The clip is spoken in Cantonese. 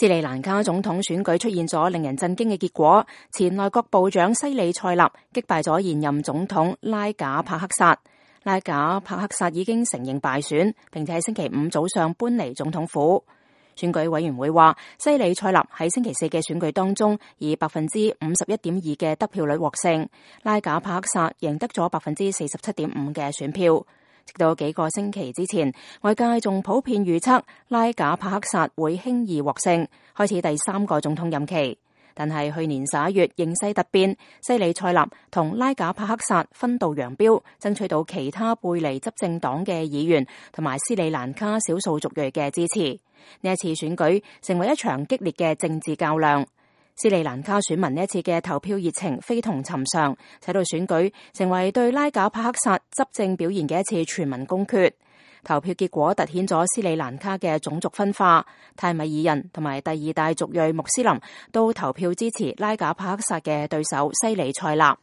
斯里蘭卡總統選舉出現咗令人震驚嘅結果，前內閣部長西里塞納擊敗咗現任總統拉賈帕克薩。拉賈帕克薩已經承認敗選，並且喺星期五早上搬離總統府。選舉委員會話，西里塞納喺星期四嘅選舉當中以51.2%嘅得票率獲勝，拉賈帕克薩贏得咗47.5%嘅選票。直到幾個星期之前，外界仲普遍預測拉賈帕克薩會輕易獲勝，開始第3個總統任期。但係去年11月形勢突變，西里塞納同拉賈帕克薩分道揚鑣，爭取到其他背離執政黨嘅議員同埋斯里蘭卡少數族裔嘅支持。呢一次選舉成為一場激烈嘅政治較量。斯里蘭卡選民呢一次嘅投票熱情非同尋常，使到選舉成為對拉賈帕克薩執政表現嘅一次全民公決。投票結果凸顯咗斯里蘭卡嘅種族分化，泰米爾人同埋第2大族裔穆斯林都投票支持拉賈帕克薩嘅對手西里塞納。